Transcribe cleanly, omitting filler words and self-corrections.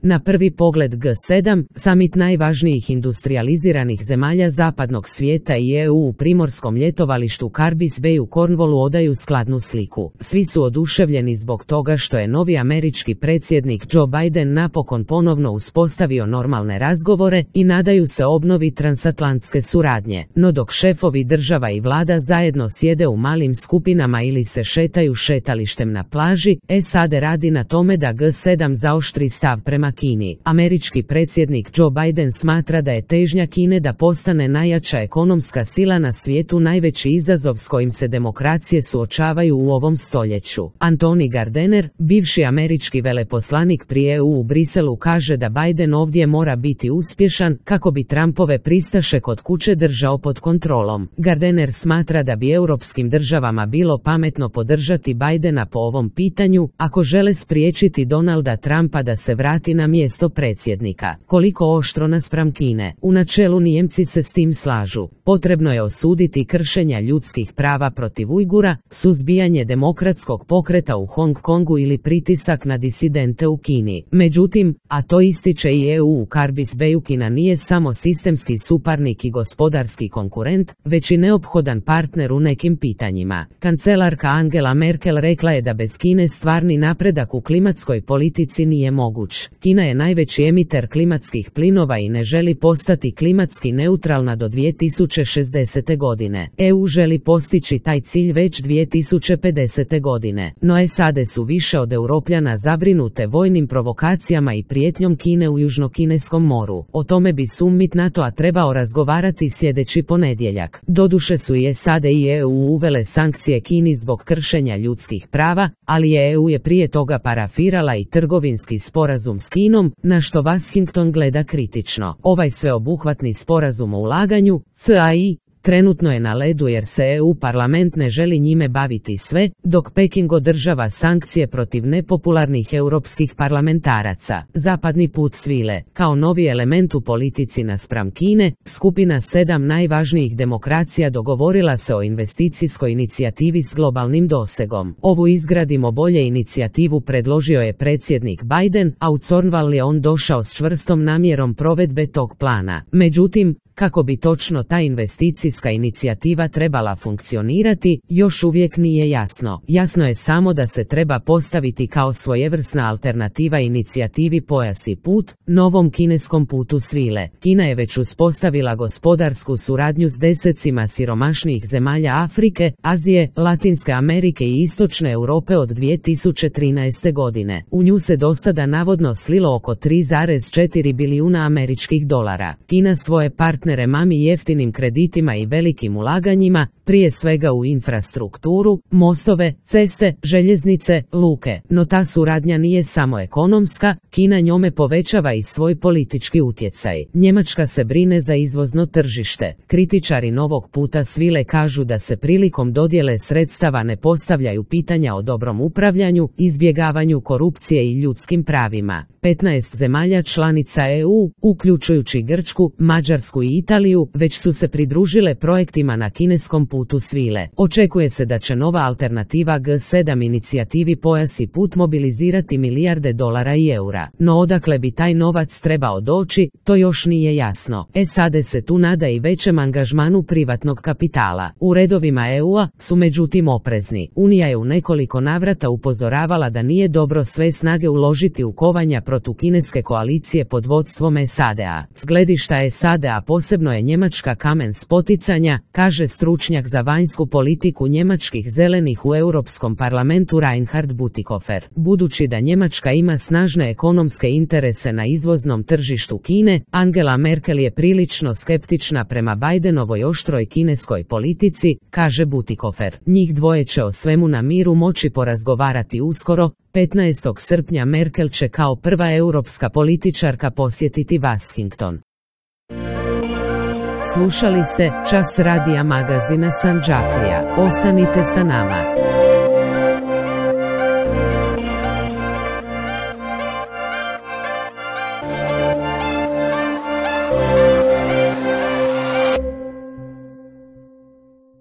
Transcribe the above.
Na prvi pogled G7, samit najvažnijih industrializiranih zemalja zapadnog svijeta i EU u primorskom ljetovalištu Carbis Bay u Cornwallu odaju skladnu sliku. Svi su oduševljeni zbog toga što je novi američki predsjednik Joe Biden napokon ponovno uspostavio normalne razgovore i nadaju se obnovi transatlantske suradnje. No dok šefovi država i vlada zajedno sjede u malim skupinama ili se šetaju šetalištem na plaži, SAD radi na tome da G7 zaoštri stav prema Kini. Američki predsjednik Joe Biden smatra da je težnja Kine da postane najjača ekonomska sila na svijetu najveći izazov s kojim se demokracije suočavaju u ovom stoljeću. Antony Gardner, bivši američki veleposlanik pri EU u Briselu, kaže da Biden ovdje mora biti uspješan kako bi Trumpove pristaše kod kuće držao pod kontrolom. Gardner smatra da bi europskim državama bilo pametno podržati Bidena po ovom pitanju ako žele spriječiti Donalda Trumpa da se vrati na mjesto predsjednika. Koliko oštro naspram Kine? U načelu Nijemci se s tim slažu. Potrebno je osuditi kršenja ljudskih prava protiv Ujgura, suzbijanje demokratskog pokreta u Hong Kongu ili pritisak na disidente u Kini. Međutim, a to ističe i EU u Carbis Bayu, Kina nije samo sistemski suparnik i gospodarski konkurent, već i neophodan partner u nekim pitanjima. Kancelarka Angela Merkel rekla je da bez Kine stvarni napredak u klimatskoj politici nije moguć. Kina je najveći emiter klimatskih plinova i ne želi postati klimatski neutralna do 2060. godine. EU želi postići taj cilj već 2050. godine. No SAD su više od Europljana zabrinute vojnim provokacijama i prijetnjom Kine u Južnokineskom moru. O tome bi summit NATO-a trebao razgovarati sljedeći ponedjeljak. Doduše su i SAD i EU uvele sankcije Kini zbog kršenja ljudskih prava, ali EU je prije toga parafirala i trgovinski sporazum s Kinom, na što Washington gleda kritično. Ovaj sveobuhvatni sporazum o ulaganju, CAI, trenutno je na ledu jer se EU parlament ne želi njime baviti sve, dok Peking održava sankcije protiv nepopularnih europskih parlamentaraca. Zapadni put svile. Kao novi element u politici naspram Kine, skupina 7 najvažnijih demokracija dogovorila se o investicijskoj inicijativi s globalnim dosegom. Ovu izgradimo bolje inicijativu predložio je predsjednik Biden, a u Cornwall je on došao s čvrstom namjerom provedbe tog plana. Međutim, kako bi točno ta investicijska inicijativa trebala funkcionirati, još uvijek nije jasno. Jasno je samo da se treba postaviti kao svojevrsna alternativa inicijativi Pojas i put, novom kineskom putu svile. Kina je već uspostavila gospodarsku suradnju s desecima siromašnijih zemalja Afrike, Azije, Latinske Amerike i Istočne Europe od 2013. godine. U nju se do sada navodno slilo oko 3,4 bilijuna američkih dolara. Kina svoje partnere mami jeftinim kreditima i velikim ulaganjima, prije svega u infrastrukturu, mostove, ceste, željeznice, luke. No ta suradnja nije samo ekonomska, Kina njome povećava i svoj politički utjecaj. Njemačka se brine za izvozno tržište. Kritičari novog puta svile kažu da se prilikom dodjele sredstava ne postavljaju pitanja o dobrom upravljanju, izbjegavanju korupcije i ljudskim pravima. 15 zemalja članica EU, uključujući Grčku, Mađarsku i Italiju, već su se pridružile projektima na kineskom putu svile. Očekuje se da će nova alternativa G7 inicijativi Pojas i put mobilizirati milijarde dolara i eura. No odakle bi taj novac trebao doći, to još nije jasno. SAD se tu nada i većem angažmanu privatnog kapitala. U redovima EU-a su međutim oprezni. Unija je u nekoliko navrata upozoravala da nije dobro sve snage uložiti u kovanja protukineske koalicije pod vodstvom SAD-a. S gledišta SAD-a posebno je Njemačka kamen spoticanja, kaže stručnjak za vanjsku politiku njemačkih zelenih u Europskom parlamentu Reinhard Bütikofer. Budući da Njemačka ima snažne ekonomske interese na izvoznom tržištu Kine, Angela Merkel je prilično skeptična prema Bidenovoj oštroj kineskoj politici, kaže Bütikofer. Njih dvoje će o svemu na miru moći porazgovarati uskoro. 15. srpnja Merkel će kao prva europska političarka posjetiti Washington. Slušali ste Čas radija magazina Sandžaklija. Ostanite sa nama.